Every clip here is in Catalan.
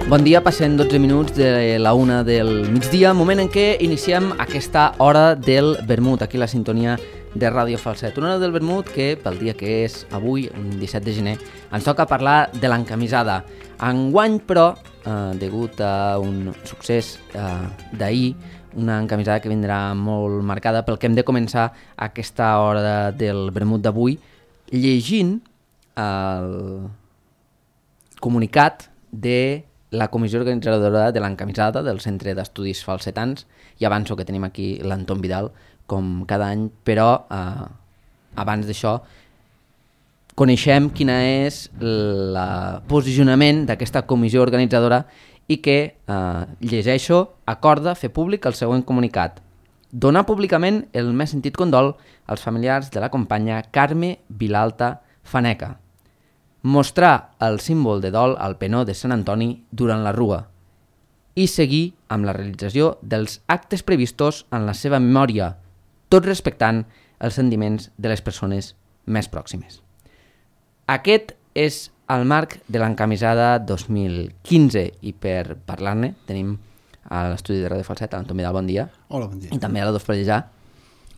Bon dia, passen 12 minuts de la 1 del migdia, moment en què iniciem aquesta hora del vermut, aquí la sintonia de Ràdio Falset. Una hora del vermut que, pel dia que és avui, un 17 de gener, ens toca parlar de l'encamisada. Enguany, però, degut a un succés d'ahir, una encamisada que vindrà molt marcada pel que hem de començar aquesta hora del vermut d'avui, llegint el comunicat de la comissió organitzadora de l'encamisada del Centre d'Estudis Falsetans. I avanço que tenim aquí l'Anton Vidal, com cada any, però abans d'això coneixem quina és el posicionament d'aquesta comissió organitzadora i que, llegeixo, acorda fer públic el següent comunicat. Donar públicament el més sentit condol als familiars de la companya Carme Vilalta Faneca. Mostrar el símbol de dol al penó de Sant Antoni durant la rua i seguir amb la realització dels actes previstos en la seva memòria, tot respectant els sentiments de les persones més pròximes. Aquest és el marc de l'encamisada 2015 i per parlar-ne tenim a l'estudi de Ràdio Falset l'Anton Vidal, bon dia. Hola, bon dia. I també a la Dos Pallejà.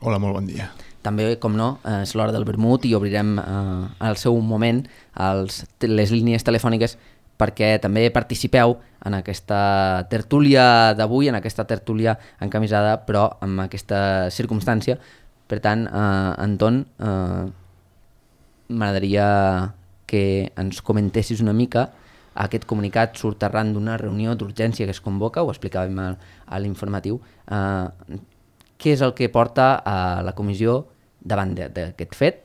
Hola, molt bon dia. També, com no, és l'hora del vermut i obrirem al seu moment les línies telefòniques perquè també participeu en aquesta tertúlia d'avui, en aquesta tertúlia encamisada, però amb aquesta circumstància. Per tant, Anton, m'agradaria que ens comentessis una mica. Aquest comunicat surt arran d'una reunió d'urgència que es convoca, ho explicàvem a l'informatiu. Què és el que porta a la comissió davant d'aquest fet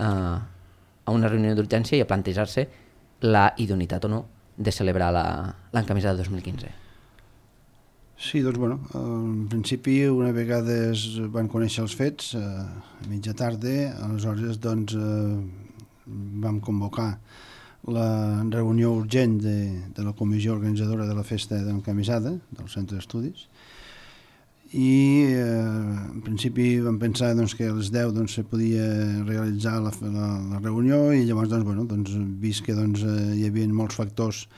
a una reunió d'urgència i a plantejar-se la idoneïtat o no de celebrar l'encamisada 2015? Sí, doncs, bueno, en principi, una vegada es van conèixer els fets, a mitja tarda, aleshores, doncs, vam convocar la reunió urgent de la comissió organitzadora de la festa de l'encamisada del Centre d'Estudis, i en principi vam pensar doncs, que a les 10 doncs, se podia realitzar la reunió i llavors vist que hi havia molts factors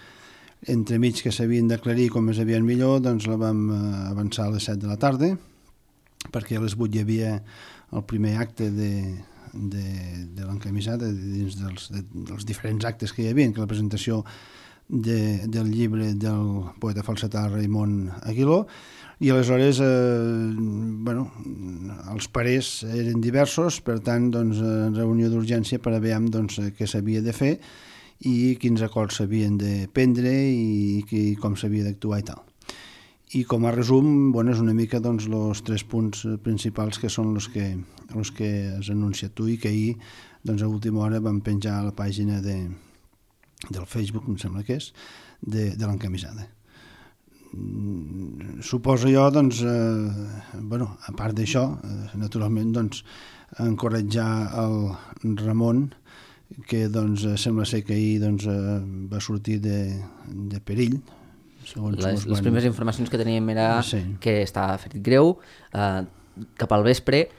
entremig que s'havien d'aclarir com més aviat millor, doncs la vam avançar a les 7 de la tarda perquè a les 8 hi havia el primer acte de l'encamisada dins dels diferents actes que hi havia, que la presentació del llibre del poeta falsetà Raimon Aguiló. I aleshores, els parers eren diversos, per tant, reunió d'urgència per a veure què s'havia de fer i quins acords s'havien de prendre i com s'havia d'actuar i tal. I com a resum, és una mica els 3 punts principals que són els que has anunciat tu i que ahir, a última hora, vam penjar a la pàgina del Facebook, em sembla que és, de l'encamisada. Suposo jo, a part d'això, naturalment, encoratjar el Ramon, que sembla ser que ahir va sortir de perill. Les primeres informacions que teníem era que estava ferit greu cap al vespre,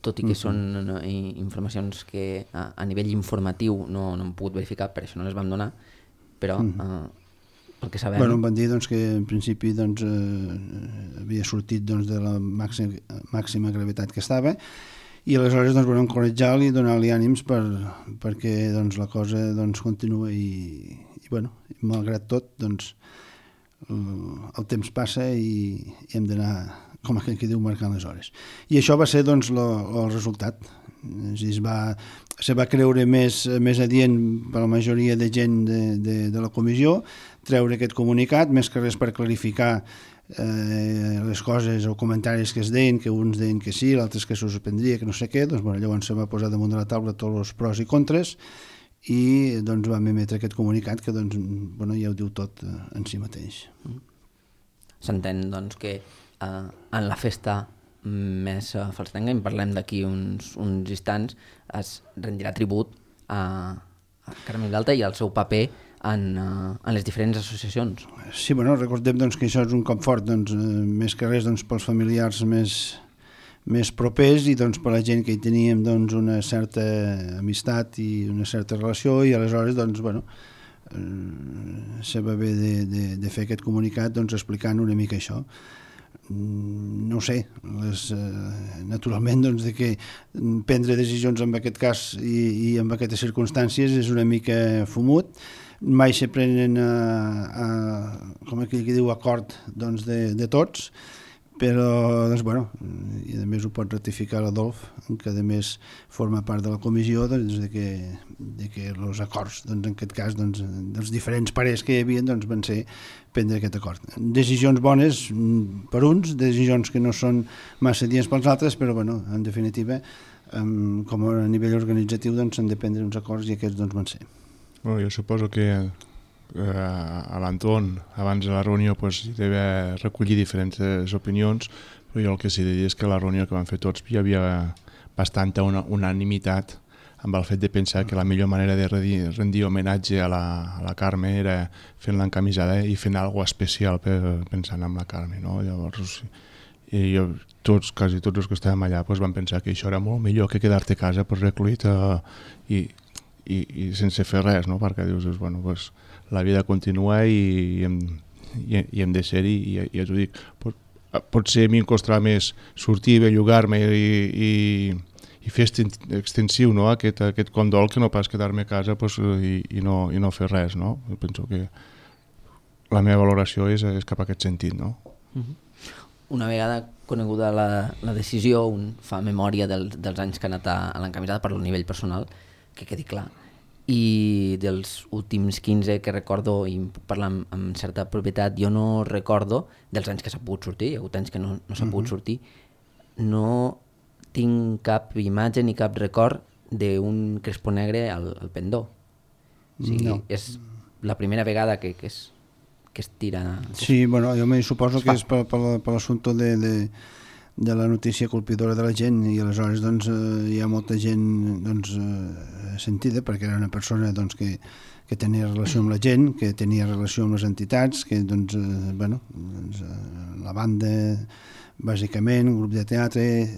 tot i que són informacions que a nivell informatiu no hem pogut verificar, per això no les vam donar, però el que sabem... Em van dir que en principi havia sortit de la màxima gravetat que estava i aleshores encoratjar-lo i donar-li ànims perquè la cosa continua i malgrat tot el temps passa i hem d'anar, com aquell que diu, marcant les hores. I això va ser el resultat. Se va creure més adient per la majoria de gent de la comissió treure aquest comunicat, més que res per clarificar les coses o comentaris que es deien, que uns deien que sí, l'altres que se suspendria, que no sé què, llavors se va posar damunt de la taula tots els pros i contres i vam emetre aquest comunicat que ja ho diu tot en si mateix. S'entén que en la festa més falsetenga, en parlem d'aquí uns instants, es rendirà tribut a Carme Vilalta i al seu paper en les diferents associacions. Sí, recordem que això és un cop fort, més que res pels familiars més propers i per la gent que hi teníem una certa amistat i una certa relació i aleshores se va haver de fer aquest comunicat doncs, explicant una mica això. No ho sé, naturalment doncs, de que prendre decisions en aquest cas i en aquestes circumstàncies és una mica fumut, mai se prenen com aquell que diu acord doncs, de tots, però doncs, bueno, i a més ho pot ratificar l'Adolf, que a més forma part de la comissió, doncs, de que els acords doncs, en aquest cas doncs, dels diferents parers que hi havia doncs, van ser prendre aquest acord. Decisions bones per uns, decisions que no són massa dies pels altres, però bueno, en definitiva com a nivell organitzatiu doncs, s'han de prendre uns acords i aquests doncs, van ser. Bueno, jo suposo que a l'Anton, abans de la reunió, pues, hi devia recollir diferents opinions, però jo el que sí que és que a la reunió que van fer tots hi havia bastanta unanimitat amb el fet de pensar que la millor manera de rendir homenatge a la Carme era fent l'encamisada i fent alguna cosa especial pensant en la Carme, no? Llavors, quasi tots els que estàvem allà pues, van pensar que això era molt millor que quedar-te a casa pues, recluït i sense fer res, no? Perquè dius, bueno, pues, la vida continua i hem de ser-hi i ja t'ho dic, potser a mi em costarà més sortir, bellugar-me i fer extensiu, no? aquest condol que no pas quedar-me a casa pues, i no fer res, no? Jo penso que la meva valoració és cap a aquest sentit, no? Una vegada coneguda la decisió, un fa memòria dels anys que ha anat a l'encamisada per al nivell personal, que quedi clar, i dels últims 15 que recordo, i puc parlar amb certa propietat, jo no recordo dels anys que s'ha pogut sortir, hi ha hagut anys que no s'ha pogut sortir, no tinc cap imatge ni cap record d'un crespo negre al pendó. O sigui, no. És la primera vegada que es tira... Sí, bueno, jo me suposo que és per l'assumpte de la notícia colpidora de la gent i aleshores doncs, hi ha molta gent doncs, sentida perquè era una persona doncs, que tenia relació amb la gent, que tenia relació amb les entitats, que doncs, la banda bàsicament, un grup de teatre,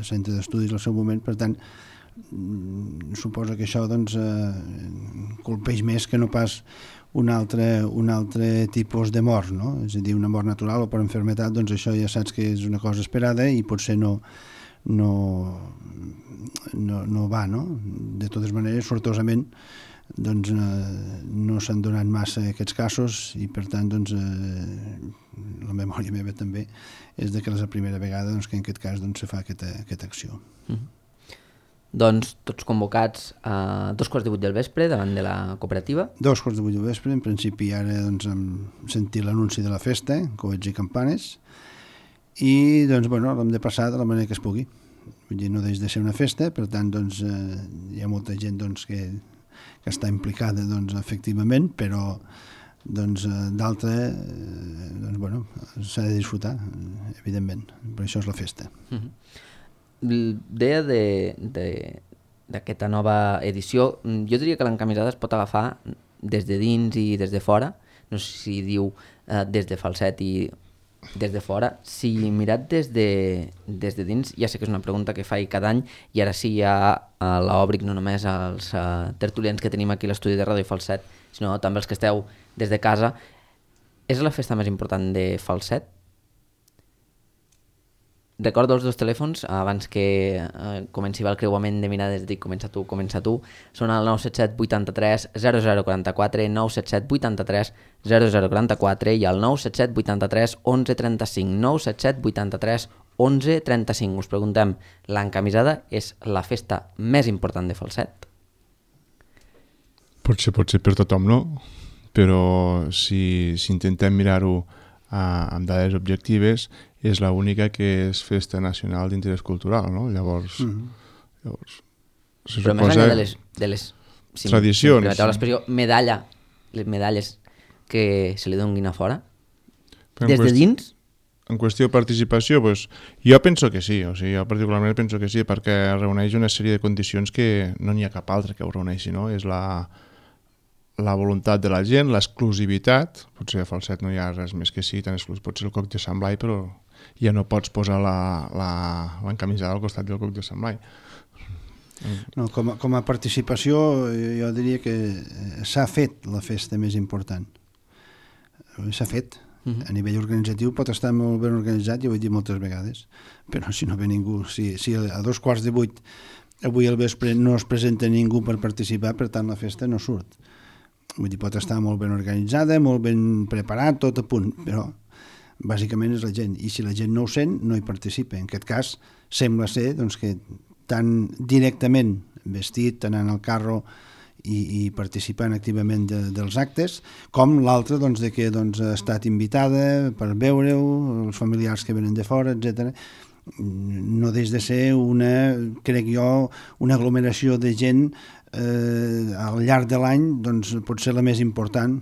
centre d'estudis al seu moment, per tant suposo que això doncs, colpeix més que no pas un altre tipus de mort, no? És a dir, una mort natural o per enfermetat, doncs això ja saps que és una cosa esperada i potser no va, no? De totes maneres, sortosament, doncs no s'han donat massa aquests casos i per tant, doncs, la memòria meva també és de que és la primera vegada doncs, que en aquest cas doncs, se fa aquesta acció. Doncs tots convocats a 2:15 del vespre davant de la cooperativa. 2:15 del vespre, en principi ara doncs, hem sentit l'anunci de la festa, coets i campanes, i doncs, l'hem de passar de la manera que es pugui. Vull dir, no deix de ser una festa, per tant doncs, hi ha molta gent doncs, que està implicada doncs, efectivament, però doncs, d'altra s'ha de disfrutar, evidentment, per això és la festa. Deia d'aquesta nova edició, jo diria que l'encamisada es pot agafar des de dins i des de fora, no sé si diu des de Falset i des de fora. Si mirat des de dins, ja sé que és una pregunta que faig cada any i ara sí ja l'òbric no només als tertulians que tenim aquí a l'estudi de Ràdio Falset, sinó també els que esteu des de casa. És la festa més important de Falset? Recordo els dos telèfons abans que comenci el creuament de mirades, dic comença tu, són el 977 83 0044, 977 83 0044 i el 977 83 1135, 977 83 1135. Us preguntem, l'encamisada és la festa més important de Falset? Pot ser per tothom, no? Però si intentem mirar-ho amb dades objectives, és l'única que és festa nacional d'interès cultural, no? Llavors però més enllà de les tradicions, permeteu l'expressió, les medalles que se li donguin a fora, des de dins? En qüestió de participació, doncs, jo penso que sí, o sigui, jo particularment penso que sí, perquè reuneix una sèrie de condicions que no n'hi ha cap altre que ho reuneixi, no? És la voluntat de la gent, l'exclusivitat, potser a Falset no hi ha res més que sí, tan exclus, pot ser el coc de Sant Blai, però ja no pots posar l'encamisada al costat del coc de Sant Blai. No, com a participació, jo diria que s'ha fet la festa més important. S'ha fet. A nivell organitzatiu pot estar molt ben organitzat, ja ho he dit moltes vegades, però si no ve ningú, si a 7:15 avui al vespre no es presenta ningú per participar, per tant la festa no surt. Vull dir, pot estar molt ben organitzada, molt ben preparat, tot a punt, però bàsicament és la gent, i si la gent no ho sent, no hi participa. En aquest cas, sembla ser doncs, que tan directament vestit, anant al carro i participant activament dels actes, com l'altre doncs, de que doncs, ha estat invitada per veure-ho, els familiars que venen de fora, etc. No deix de ser crec jo, una aglomeració de gent al llarg de l'any, doncs pot ser la més important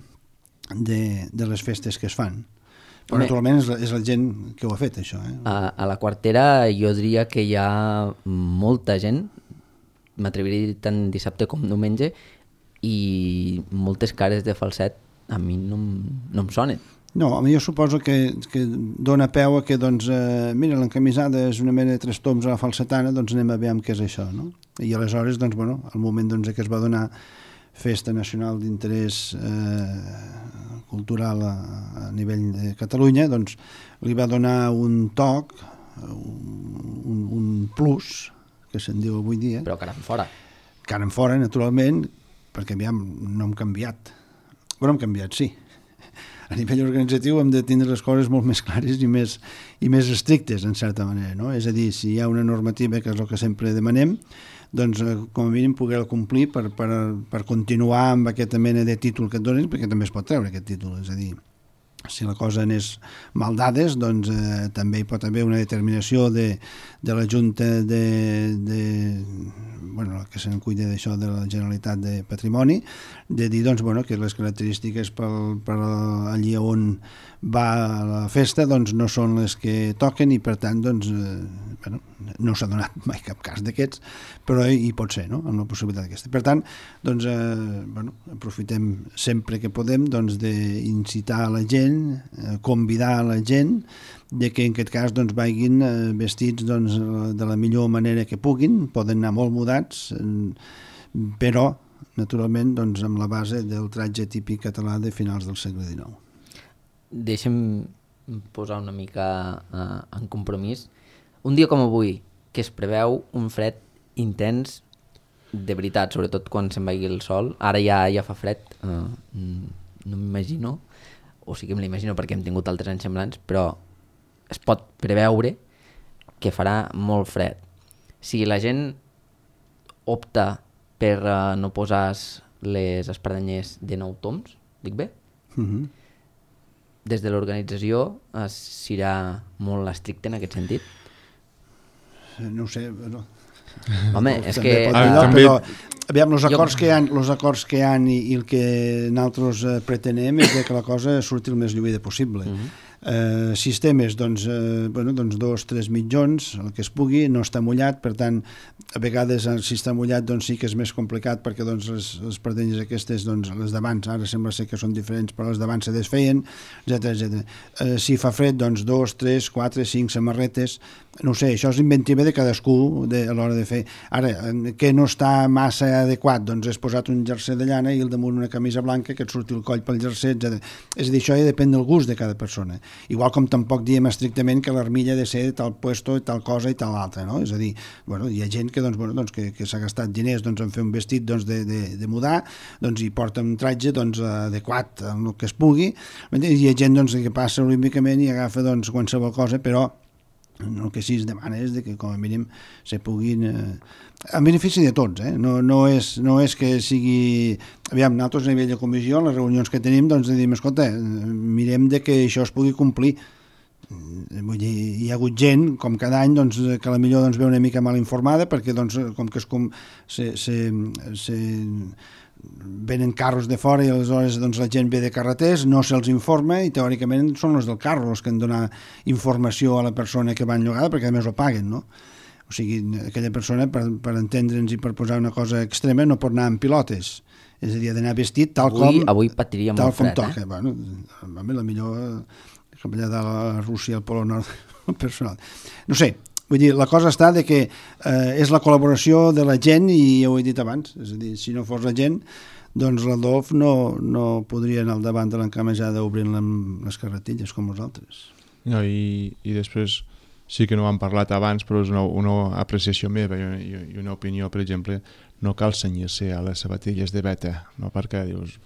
de les festes que es fan. Però naturalment és la gent que ho ha fet, això. A la Quartera jo diria que hi ha molta gent, m'atreviria a dir tant dissabte com diumenge, i moltes cares de falset a mi no em sonen. No, a mi jo suposo que dona peu a que, doncs, mira, l'encamisada és una mena de 3 toms a la falsetana, doncs anem a veure què és això, no? I aleshores, doncs, bueno, al moment doncs, que es va donar Festa Nacional d'Interès Cultural a nivell de Catalunya, doncs li va donar un toc, un plus, que se'n diu avui dia. Però cara enfora. Cara enfora, naturalment, perquè aviam, no hem canviat. Bueno, hem canviat, sí. A nivell organitzatiu hem de tindre les coses molt més clares i més estrictes, en certa manera, no? És a dir, si hi ha una normativa, que és el que sempre demanem, doncs com a mínim poder-la complir per continuar amb aquesta mena de títol que et donen, perquè també es pot treure aquest títol, és a dir, si la cosa anés mal dades, doncs també hi pot haver una determinació de la Junta bueno, que se'n cuida d'això de la Generalitat de Patrimoni, de dir doncs, bueno, que les característiques per allí on va la festa doncs, no són les que toquen i per tant doncs, bueno, no s'ha donat mai cap cas d'aquests, però hi pot ser, no?, amb la possibilitat aquesta. Per tant, doncs, bueno, aprofitem sempre que podem doncs, d'incitar a la gent, convidar a la gent de que en aquest cas doncs, vagin vestits doncs, de la millor manera que puguin, poden anar molt mudats, però naturalment doncs, amb la base del tratge típic català de finals del segle XIX. Deixa'm posar una mica en compromís. Un dia com avui, que es preveu un fred intens, de veritat, sobretot quan se'n vagi el sol, ara ja fa fred, no m'imagino, o sí que me l'imagino perquè hem tingut altres anys semblants, però es pot preveure que farà molt fred. Si la gent opta per no posar les espadanyers de 9 toms, dic bé? Des de l'organització serà molt estricte en aquest sentit? No ho sé, no. Home, és que... Però, aviam, els acords que hi ha i el que nosaltres pretenem és que la cosa surti el més lluïda possible. Sistemes, doncs 2-3 mitjons, el que es pugui, no està mullat, per tant, a vegades si està mullat doncs sí que és més complicat perquè doncs, les pardenyes aquestes, doncs, les d'abans, ara sembla ser que són diferents, però les d'abans se desfeien, etc. Si fa fred, doncs 2, 3, 4, 5 samarretes, no ho sé, això és inventiva de cadascú a l'hora de fer. Ara, que no està massa adequat, doncs és posat un jersei de llana i al damunt una camisa blanca que et surti el coll pel jersei, etc. És a dir, això ja depèn del gust de cada persona. Igual com tampoc diem estrictament que l'armilla ha de ser de tal puesto, tal cosa i tal altra, no? És a dir, bueno, hi ha gent que, que s'ha gastat diners en fer un vestit de mudar, i porta un tratge adequat amb el que es pugui, i hi ha gent que passa olímpicament i agafa qualsevol cosa, però el que sí es demana és que com a mínim se puguin en benefici de tots, no és que sigui, aviam, nosaltres a nivell de comissió, en les reunions que tenim, diem, escolta, mirem de que això es pugui complir. Vull dir, hi ha hagut gent, com cada any, que a la millor ve una mica mal informada, perquè com que venen carros de fora i aleshores la gent ve de carreters, no se'ls informa i teòricament són els del carro els que han de donar informació a la persona que va enllogada perquè a més ho paguen, no? O sigui, aquella persona, per entendre'ns i per posar una cosa extrema, no pot anar amb pilotes, és a dir, ha d'anar vestit tal com... Avui patiria molt fred, toca. Bueno, la millor capellà de la Rússia al Polo Nord personal. No sé, Vull dir, la cosa està de que és la col·laboració de la gent, i ja ho he dit abans, és a dir, si no fos la gent, doncs l'Adolf no podria anar al davant de l'encamejada obrint les carretilles com nosaltres. No, i després sí que no ho hem parlat abans, però és una apreciació meva i una opinió, per exemple, no cal cenyir-se a les sabatilles de beta, no? Perquè dius,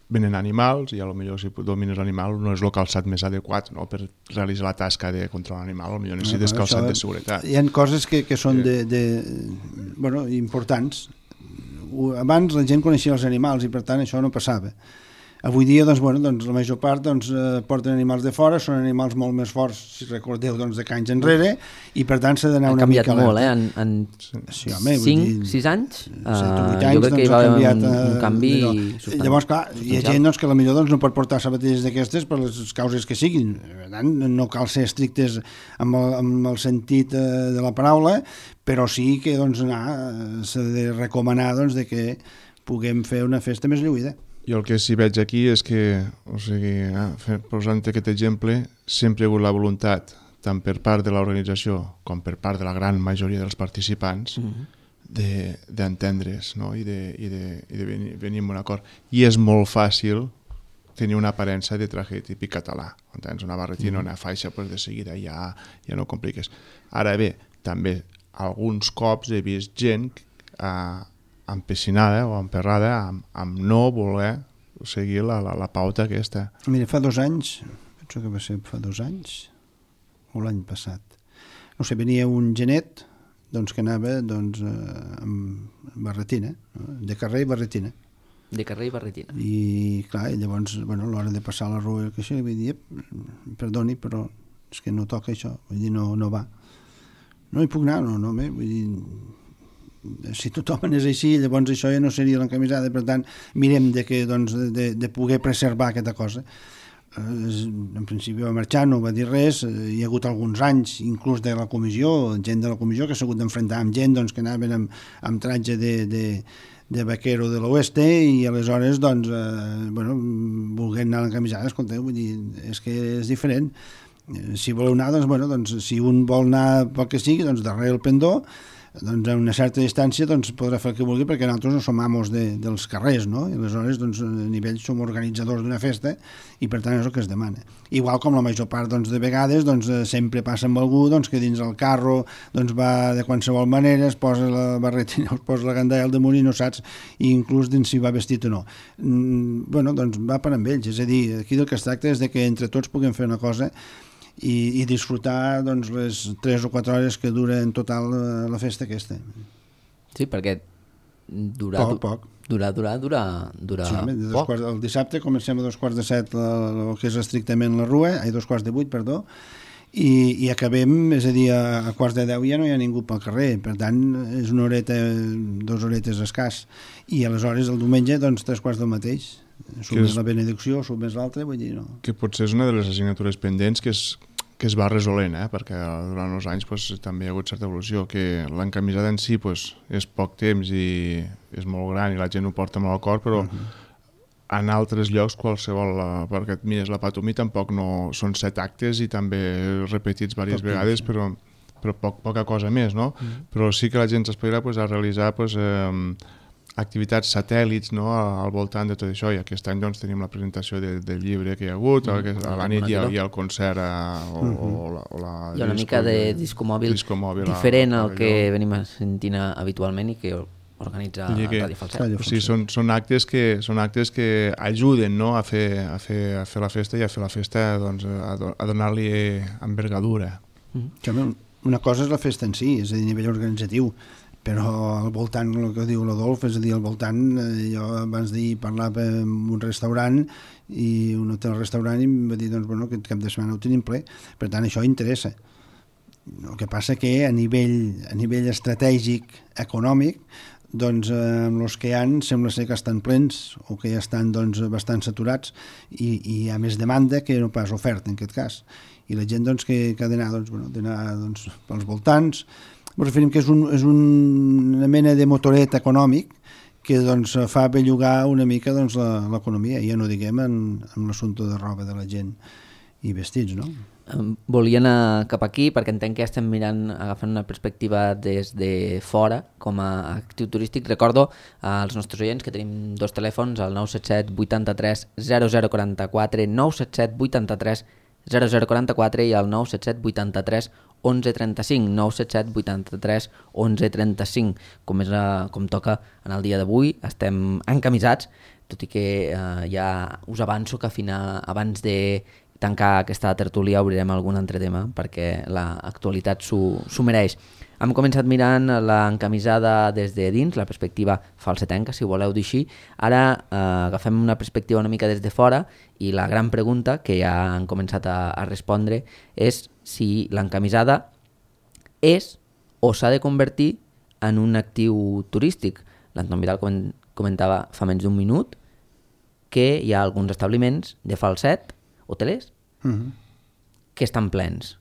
venen animals i potser si domines l'animal no és el calçat més adequat, no? Per realitzar la tasca de controlar l'animal, potser necessites calçat de seguretat. Hi ha coses que són importants. Abans la gent coneixia els animals i per tant això no passava. Avui dia, doncs, la major part porten animals de fora, són animals molt més forts, si recordeu, de anys enrere, i per tant s'ha d'anar una mica alerta. Ha canviat molt, en 5-6 anys? 7 anys, jo crec que hi va haver un canvi substancial. Llavors, clar, hi ha gent que potser no pot portar sabatilles d'aquestes per les causes que siguin. Per tant, no cal ser estrictes amb el sentit de la paraula, però sí que s'ha de recomanar que puguem fer una festa més lluïda. Jo el que sí veig aquí és que, posant aquest exemple, sempre hi ha hagut la voluntat, tant per part de l'organització com per part de la gran majoria dels participants, d'entendre's, no? I de venir en un acord. I és molt fàcil tenir una aparença de traje típic català. Quan tens una barretina o una faixa, de seguida ja no compliques. Ara bé, també alguns cops he vist gent empessinada o emperrada amb no voler seguir la pauta aquesta. Mira, fa 2 anys, penso que va ser fa 2 anys, o l'any passat, no sé, venia un genet que anava amb barretina, de carrer i barretina. De carrer i barretina. I clar, llavors, a l'hora de passar la rua, que això, li vaig dir, perdoni, però és que no toca això, vull dir, no va. No hi puc anar, no, vull dir, si tothom anés així, llavors això ja no seria l'encamisada, per tant mirem de poder preservar aquesta cosa. En principi va marxar, no va dir res, hi ha hagut alguns anys inclús de la comissió, gent de la comissió que s'ha hagut d'enfrontar amb gent que anaven amb tratge de vaquero de l'oeste i aleshores volguent anar a l'encamisada, escolteu, vull dir, és que és diferent. Si voleu anar, si un vol anar pel que sigui, darrere el pendó, a una certa distància podrà fer el que vulgui, perquè nosaltres no som amos dels carrers, no? I aleshores a nivell som organitzadors d'una festa i per tant és el que es demana. Igual com la major part de vegades sempre passa amb algú que dins el carro va de qualsevol manera, es posa la barretina, es posa la gandalla al damunt i no saps inclús dins si va vestit o no. Va per amb ells, és a dir, aquí del que es tracta és que entre tots puguem fer una cosa i disfrutar les 3 o 4 hores que dura en total la festa aquesta. Sí, perquè poc. Dura Sí, poc. El dissabte comencem a 7:15 el que és estrictament la rua, 7:15, perdó, i acabem, és a dir, a 9:15 ja no hi ha ningú pel carrer, per tant és 1 horeta, 2 horetes escàs, i aleshores el diumenge 3:15 del mateix. Surt més la benedicció, surt més l'altra, vull dir, no. Que potser és una de les assignatures pendents que es va resolent, perquè durant els anys també hi ha hagut certa evolució, que l'encamisada en si és poc temps i és molt gran i la gent ho porta molt al cor, però en altres llocs qualsevol, perquè et mires la Patumí tampoc no són 7 actes i també repetits diverses vegades, però poca cosa més, no? Però sí que la gent s'aspirarà a realitzar activitats satèl·lits, no?, al voltant de tot això, i aquest any tenim la presentació del llibre que hi ha hagut, a la nit hi ha el concert hi ha una mica de disco mòbil diferent al que venim sentint habitualment i que organitza Ràdio Falset. Sí, són actes que ajuden, no?, a fer la festa i a fer la festa a donar-li envergadura. Una cosa és la festa en si, és a dir, a nivell organitzatiu, però al voltant, el que diu l'Adolf, és a dir, al voltant, jo abans d'ahir parlava en un restaurant, i un hotel-restaurant, i em va dir, que aquest cap de setmana ho tenim ple, per tant això interessa. El que passa que a nivell estratègic, econòmic, amb els que hi ha sembla ser que estan plens o que ja estan bastant saturats i hi ha més demanda que no pas oferta en aquest cas, i la gent que ha d'anar pels voltants. Ens referim que és una mena de motoret econòmic que fa bellugar una mica l'economia, ja no diguem en l'assumpte de roba de la gent. i vestits, no? Volia anar cap aquí perquè entenc que estem agafant una perspectiva des de fora com a actiu turístic. Recordo als nostres oients que tenim dos telèfons, el 977 83 0044, 977 83 0044 i el 977 83 1135, 977 83 1135. Com toca en el dia d'avui, estem encamisats, tot i que ja us avanço que abans de tancar aquesta tertúlia obrirem algun altre tema perquè l'actualitat s'ho mereix. Hem començat mirant l'encamisada des de dins, la perspectiva falsetenca, si ho voleu dir així. Ara agafem una perspectiva una mica des de fora i la gran pregunta que ja han començat a respondre és si l'encamisada és o s'ha de convertir en un actiu turístic. L'Anton Vidal comentava fa menys d'un minut que hi ha alguns establiments de falset hotelers que estan plens.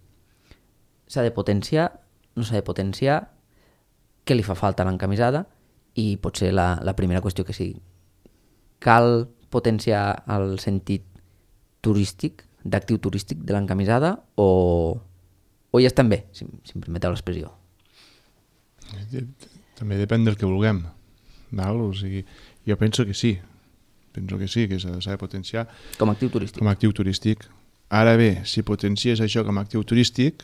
S'ha de potenciar, no s'ha de potenciar, què li fa falta a l'encamisada i potser la primera qüestió que sigui. Cal potenciar el sentit turístic, d'actiu turístic de l'encamisada o ja estem bé, si em permeteu l'expressió? També depèn del que vulguem. Val? O sigui, jo penso que sí, que s'ha de potenciar com a actiu turístic. Com a actiu turístic. Ara bé, si potencies això com a actiu turístic,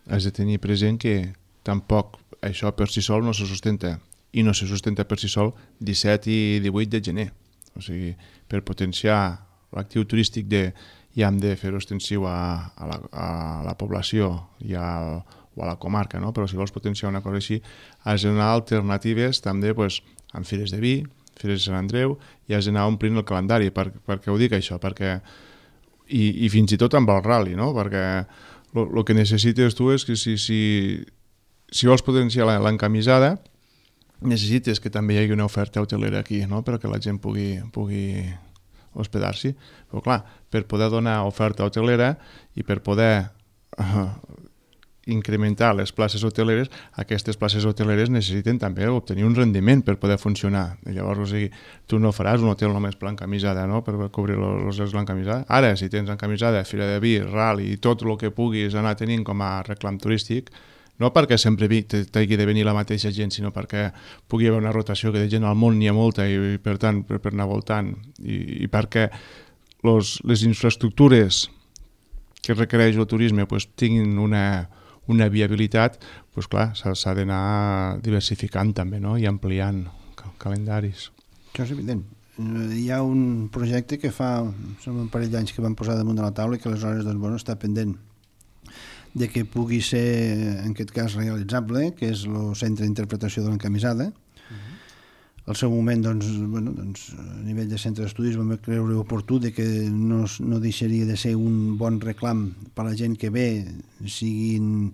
has de tenir present que tampoc això per si sol no se sustenta, i no se sustenta per si sol 17 i 18 de gener. O sigui, per potenciar l'actiu turístic ja hem de fer-ho extensiu a la població o a la comarca, no? Però si vols potenciar una cosa així, has d'anar alternatives també amb fires de vi, fires de Sant Andreu, i has d'anar omplint el calendari. Per què ho dic això? Perquè i fins i tot amb el rally, no? Perquè el que necessites tu és que si vols potenciar l'encamisada, necessites que també hi hagi una oferta hotelera aquí, no? Perquè la gent pugui hospedar-s'hi. Però clar, per poder donar oferta hotelera i per poder incrementar les places hoteleres, aquestes places hoteleres necessiten també obtenir un rendiment per poder funcionar. I llavors, o sigui, tu no faràs un hotel només per l'encamisada, no?, per cobrir els hotels de l'encamisada. Ara, si tens encamisada, fira de vi, rally i tot el que puguis anar tenint com a reclam turístic, no perquè sempre t'hagi de venir la mateixa gent, sinó perquè pugui haver una rotació, que de gent al món n'hi ha molta i per tant, per anar voltant, i perquè les infraestructures que requereix el turisme tinguin una viabilitat, clar, s'ha d'anar diversificant també, no?, i ampliant calendaris. Això és evident. Hi ha un projecte que són un parell d'anys que van posar damunt de la taula i que aleshores està pendent de que pugui ser, en aquest cas, realitzable, que és el centre d'interpretació de l'encamisada. Al seu moment, a nivell de centre d'estudis, vam creure oportú de que no deixaria de ser un bon reclam per a la gent que ve, siguin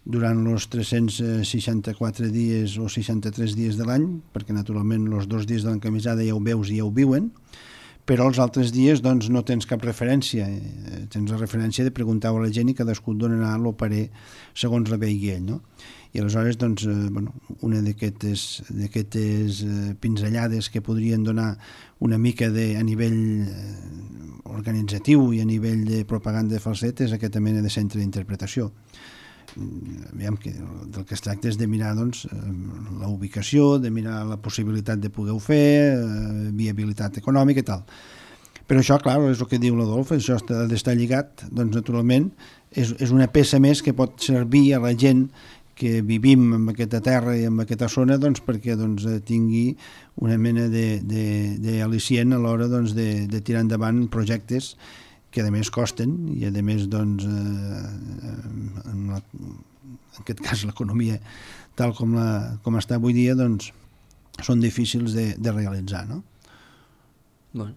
durant els 364 dies o 63 dies de l'any, perquè naturalment els 2 dies de l'encamisada ja ho veus i ja ho viuen, però els altres dies no tens cap referència. Tens la referència de preguntar a la gent i cadascú et donarà l'oparer segons la vegi ell, no? I aleshores, una d'aquestes pinzellades que podrien donar una mica a nivell organitzatiu i a nivell de propaganda de falset és aquesta mena de centre d'interpretació. Aviam, del que es tracta és de mirar la ubicació, de mirar la possibilitat de poder-ho fer, viabilitat econòmica i tal. Però això, clar, és el que diu l'Adolf, això ha d'estar lligat, naturalment, és una peça més que pot servir a la gent que vivim en aquesta terra i en aquesta zona perquè tingui una mena d'al·licient a l'hora de tirar endavant projectes que a més costen i a més en aquest cas l'economia tal com està avui dia són difícils de realitzar, no? Bueno,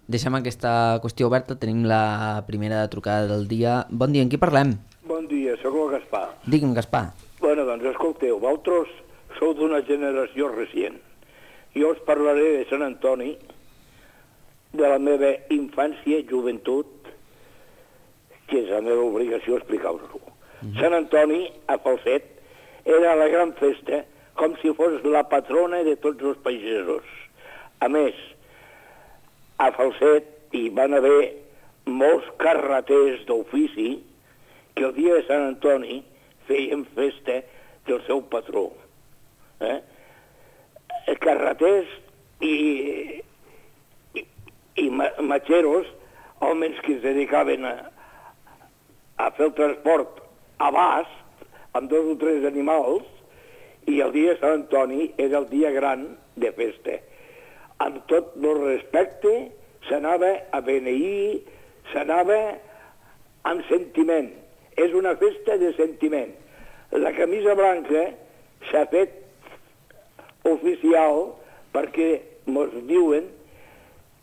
deixem aquesta qüestió oberta, tenim la primera trucada del dia. Bon dia, amb qui parlem? Bon dia, sóc el Gaspar. Digue'm, Gaspar. Bueno, escolteu, vosaltres sou d'una generació recient. Jo us parlaré de Sant Antoni, de la meva infància i joventut, que és la meva obligació explicar-vos-ho. Sant Antoni, a Falset, era la gran festa com si fos la patrona de tots els pagesos. A més, a Falset hi van haver molts carreters d'ofici que el dia de Sant Antoni feien festa del seu patró. Carreters i matxeros, homes que es dedicaven a fer el transport a bast, amb 2 o 3 animals, i el dia de Sant Antoni era el dia gran de festa. Amb tot el respecte, s'anava a beneir, s'anava amb sentiment. És una festa de sentiment. La camisa blanca s'ha fet oficial perquè ens diuen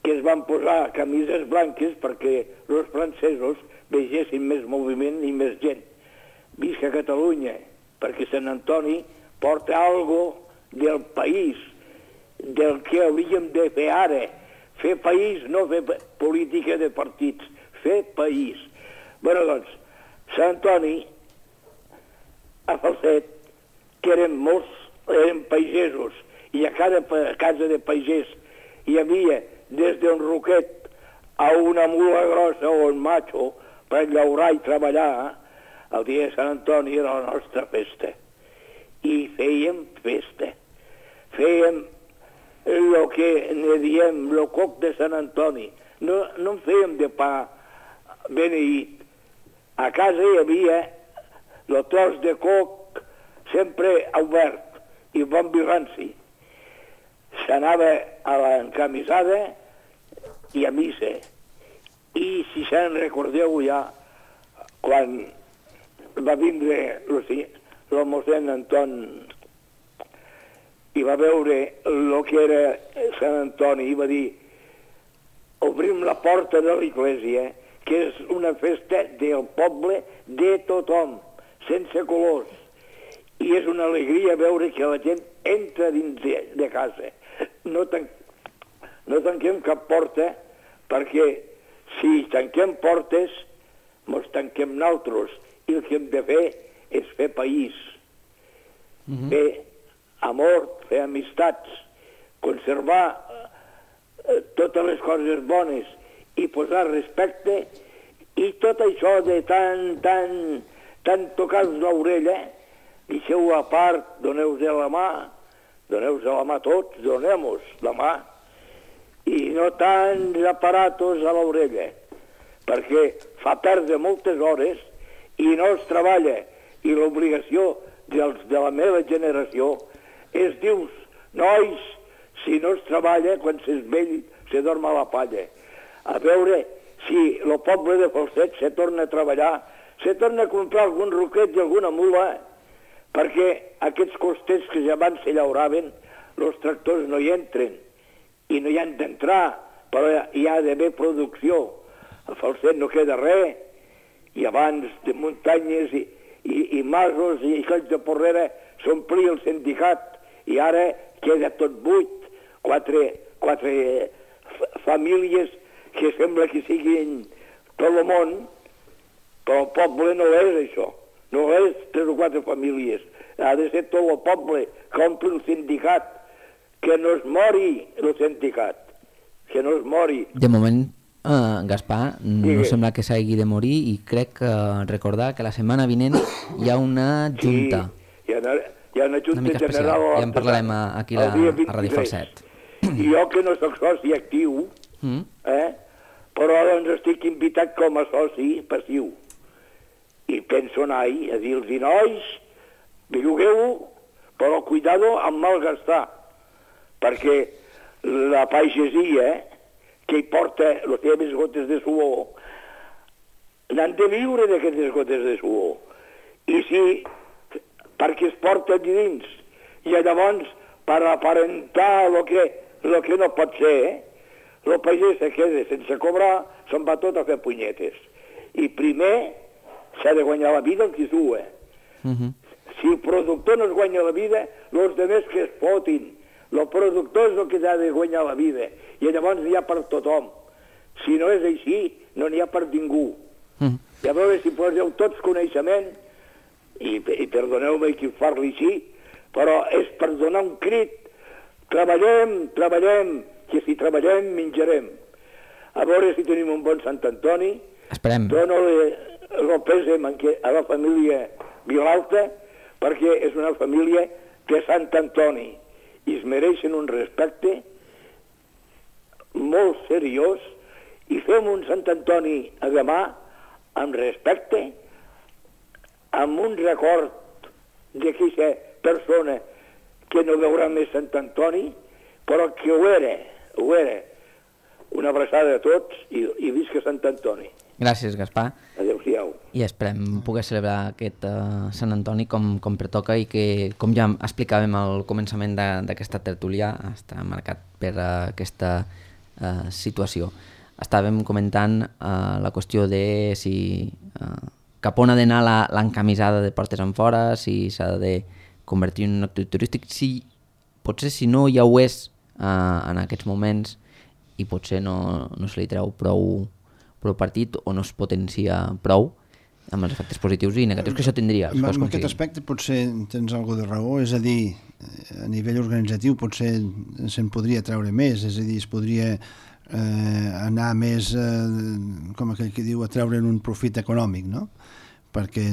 que es van posar camises blanques perquè els francesos vegessin més moviment i més gent. Visca Catalunya, perquè Sant Antoni porta algo del país, del que hauríem de fer ara. Fer país, no fer política de partits, fer país. Bé, doncs, Sant Antoni, a Falset, que eren pagesos, i a cada casa de pagès hi havia des d'un roquet a una mula grossa o un macho per llaurar i treballar, el dia de Sant Antoni era la nostra festa. I fèiem festa. Fèiem el que ne diem, el coc de Sant Antoni. No en fèiem de pa beneït. A casa hi havia el tros de coc sempre obert i bon vi ranci. S'anava a l'encamisada i a missa. I si se'n recordeu ja, quan va vindre el mossèn Anton i va veure el que era Sant Antoni i va dir: obrim la porta de l'església, que és una festa del poble, de tothom, sense colors. I és una alegria veure que la gent entra dins de casa. No tanquem cap porta, perquè si tanquem portes, ens tanquem nosaltres. I el que hem de fer és fer país. Fer amor, fer amistats, conservar totes les coses bones i posar respecte, i tot això de tant tocar-vos l'orella, deixeu a part, doneu-vos la mà tots, donem-vos la mà, i no tants aparatos a l'orella, perquè fa perdre moltes hores i no es treballa, i l'obligació dels de la meva generació és dius, nois, si no es treballa, quan s'és vell, se dorm a la palla. A veure si el poble de Falset se torna a treballar, se torna a comprar algun roquet i alguna mula, perquè aquests costers que ja abans se llauraven, els tractors no hi entren, i no hi han d'entrar, però hi ha d'haver producció. A Falset no queda res, i abans de muntanyes i masos i colls de porrera s'omplia el sindicat, i ara queda tot buit, quatre famílies que sembla que siguin tot el món, però el poble no és això, no és 3 o 4 famílies, ha de ser tot el poble que ompli el sindicat, que no es mori el sindicat, que no es mori. De moment, Gaspar, no sembla que s'hagi de morir, i crec recordar que la setmana vinent hi ha una junta. Sí, hi ha una junta general. Ja en parlarem aquí a Ràdio Falset. I jo que no soc soci actiu, però doncs estic invitat com a soci passiu. I penso anar-hi a dir-los: nois, bellugueu, però cuidado amb malgastar, perquè la pagesia que hi porta les seves gotes de suor, n'han de viure d'aquestes gotes de suor. I si, perquè es porta dins, i llavors, per aparentar el que no pot ser, el pagès se queda sense cobrar, se'n va tot a fer punyetes. I primer s'ha de guanyar la vida el qui sua. Si el productor no es guanya la vida, els altres que es fotin. El productor és el que ha de guanyar la vida, i llavors n'hi ha per tothom. Si no és així, no n'hi ha per ningú. I a veure si poseu tots coneixement, i perdoneu-me que parli així, però és per donar un crit: treballem, que si treballem menjarem. a veure si tenim un bon Sant Antoni. Esperem. Dono el pèsem a la família Vilalta, perquè és una família de Sant Antoni i es mereixen un respecte molt seriós, i fem un Sant Antoni a demà amb respecte, amb un record d'aquesta persona que no veurà més Sant Antoni, però que ho era. Una abraçada a tots i visca Sant Antoni. Gràcies, Gaspar. Adéu-siau. I esperem poder celebrar aquest Sant Antoni com pertoca i que, com ja explicàvem al començament d'aquesta tertúlia, està marcat per aquesta situació. Estàvem comentant la qüestió de si cap on ha d'anar l'encamisada de portes enfora, si s'ha de convertir en un actiu turístic, potser si no ja ho és en aquests moments i potser no se li treu prou partit o no es potencia prou amb els efectes positius i negatius que això tindria. En aquest aspecte potser tens alguna de raó, és a dir, a nivell organitzatiu potser se'n podria treure més, és a dir, es podria anar més, com aquell que diu, a treure'n un profit econòmic, no? Perquè,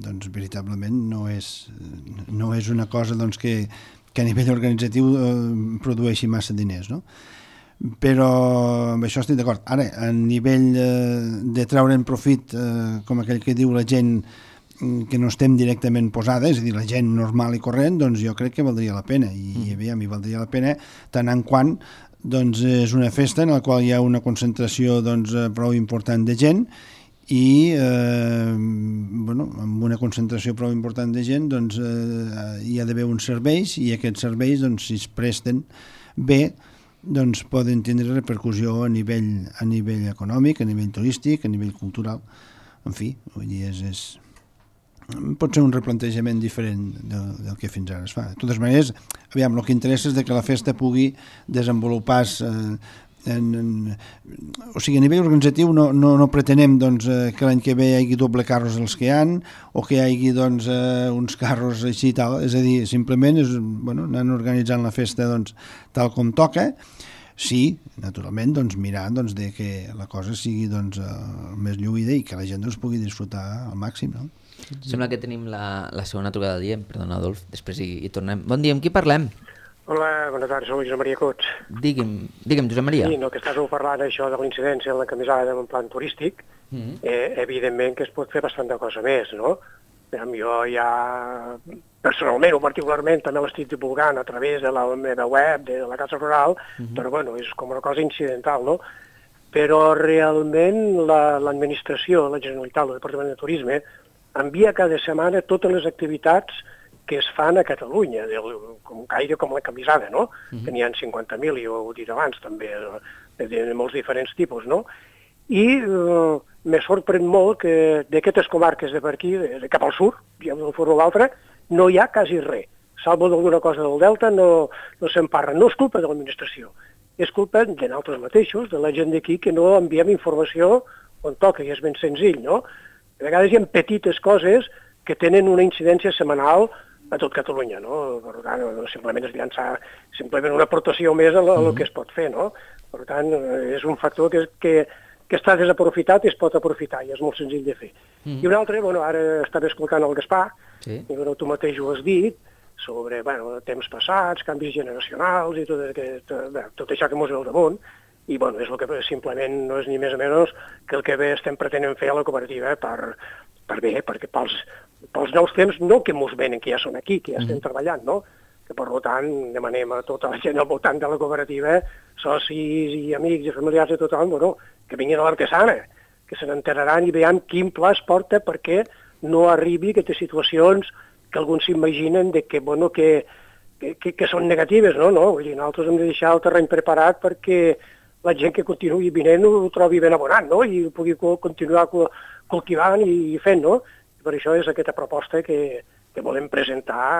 doncs, veritablement no és una cosa doncs, que a nivell organitzatiu produeixi massa diners, no? Però amb això estic d'acord. Ara, a nivell de treure'n profit, com aquell que diu la gent que no estem directament posada, és a dir, la gent normal i corrent, doncs jo crec que valdria la pena, i a mi valdria la pena tant en quant doncs és una festa en la qual hi ha una concentració doncs, prou important de gent i amb una concentració prou important de gent doncs, hi ha d'haver uns serveis i aquests serveis, doncs, si es presten bé, doncs poden tindre repercussió a nivell econòmic, a nivell turístic, a nivell cultural. En fi, vull dir, pot ser un replantejament diferent del que fins ara es fa. De totes maneres, aviam, el que interessa és que la festa pugui desenvolupar-se o sigui, a nivell organitzatiu no pretenem doncs, que l'any que ve hi hagi doble carros els que hi ha o que hi hagi doncs, uns carros així i tal, és a dir, simplement anant organitzant la festa doncs, tal com toca. Sí, naturalment, doncs, mirar doncs, de que la cosa sigui doncs, més lluïda i que la gent doncs, pugui disfrutar al màxim, no? Sembla que tenim la segona trucada del dia. Perdona, Adolf, després hi tornem. Bon dia, amb qui parlem? Hola, bona tarda, soc Josep Maria Cots. Digue'm, Josep Maria. Sí, que estàs parlant això de l'incidència en l'encamisada en plan turístic, evidentment que es pot fer bastanta cosa més, no? Jo ja, personalment o particularment, també l'estic divulgant a través de la meva web, de la Casa Rural, però bueno, és com una cosa incidental, no? Però realment l'administració, la Generalitat, el Departament de Turisme, envia cada setmana totes les activitats que es fan a Catalunya, gaire com la camisada, no? Que n'hi ha 50.000, i ho he dit abans també, de molts diferents tipus, no? I me sorprèn molt que d'aquestes comarques de per aquí, de cap al sud, d'una forma o l'altra, no hi ha quasi res. Salvo d'alguna cosa del Delta, no se'n parla. No és culpa de l'administració, és culpa de nosaltres mateixos, de la gent d'aquí, que no enviem informació on toca, i és ben senzill, no? A vegades hi ha petites coses que tenen una incidència setmanal a tot Catalunya, no? Per tant, simplement és llançar simplement una aportació més a el que es pot fer, no? Per tant, és un factor que està desaprofitat i es pot aprofitar, i és molt senzill de fer. I un altre, ara estava escoltant el Gaspar, i tu mateix ho has dit, sobre temps passats, canvis generacionals i tot això que mos ve al damunt, i és el que simplement no és ni més o menys que el que bé estem pretenent fer a la cooperativa per bé, perquè pels nous temps, no que mos venen, que ja són aquí, que ja estem treballant, no? Que per tant demanem a tota la gent al voltant de la cooperativa, socis i amics i familiars de tothom, que vinguin a l'artesana, que se n'enteraran i veiem quin pla es porta perquè no arribi a aquestes situacions que alguns s'imaginen de que són negatives, no? Vull dir, nosaltres hem de deixar el terreny preparat perquè la gent que continuï vinent ho trobi ben abonat, no? I ho pugui continuar cultivant i fent, no? I per això és aquesta proposta que volem presentar